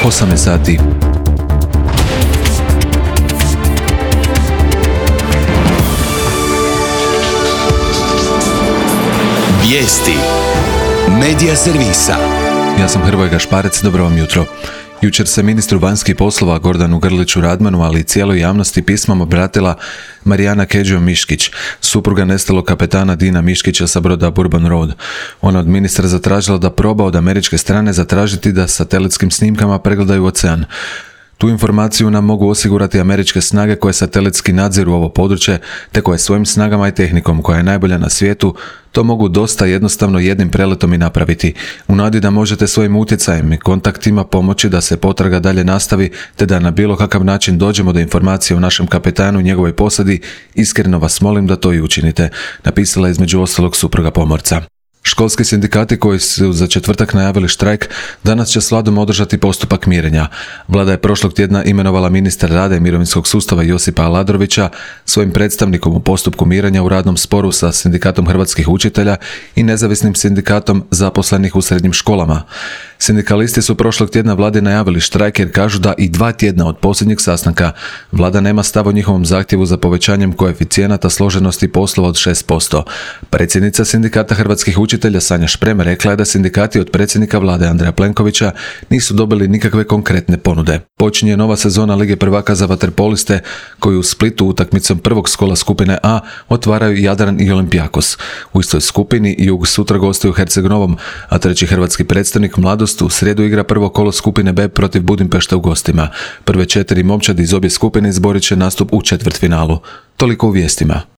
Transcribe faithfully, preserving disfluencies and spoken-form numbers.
osamnaest sati. Vijesti Medija servisa. Ja sam Hrvoje Gašparec, dobro vam jutro. Jučer se ministru vanjskih poslova Gordanu Grliću Radmanu, ali i cijeloj javnosti pismom obratila Marijana Kedžo Miškić, supruga nestalog kapetana Dina Miškića sa broda Bourbon Road. Ona od ministra zatražila da proba od američke strane zatražiti da satelitskim snimkama pregledaju ocean. Tu informaciju nam mogu osigurati američke snage koje satelitski nadziru ovo područje, te koje svojim snagama i tehnikom, koja je najbolja na svijetu, to mogu dosta jednostavno jednim preletom i napraviti, u nadi da možete svojim utjecajem i kontaktima pomoći da se potraga dalje nastavi, te da na bilo kakav način dođemo do informacije o našem kapetanu i njegovoj posadi. Iskreno vas molim da to i učinite, napisala je između ostalog supruga pomorca. Školski sindikati koji su za četvrtak najavili štrajk danas će s vladom održati postupak mirenja. Vlada je prošlog tjedna imenovala ministra rada i mirovinskog sustava Josipa Aladrovića svojim predstavnikom u postupku mirenja u radnom sporu sa Sindikatom hrvatskih učitelja i nezavisnim sindikatom zaposlenih u srednjim školama. Sindikalisti su prošlog tjedna vladi najavili štrajk jer kažu da i dva tjedna od posljednjeg sastanka vlada nema stav o njihovom zahtjevu za povećanjem koeficijenata složenosti poslova od šest posto. Predsjednica Sindikata hrvatskih učitelja Sanja Šprem rekla je da sindikati od predsjednika vlade Andreja Plenkovića nisu dobili nikakve konkretne ponude. Počinje nova sezona Lige prvaka za vaterpoliste koju u Splitu utakmicom prvog kola skupine A otvaraju Jadran i Olimpijakos. U istoj skupini Jug sutra gostuje u Herceg-Novom, a treći hrvatski predstavnik Mladost u srijedu igra prvo kolo skupine B protiv Budimpešte u gostima. Prve četiri momčadi iz obje skupine izborit će nastup u četvrtfinalu. Toliko u vijestima.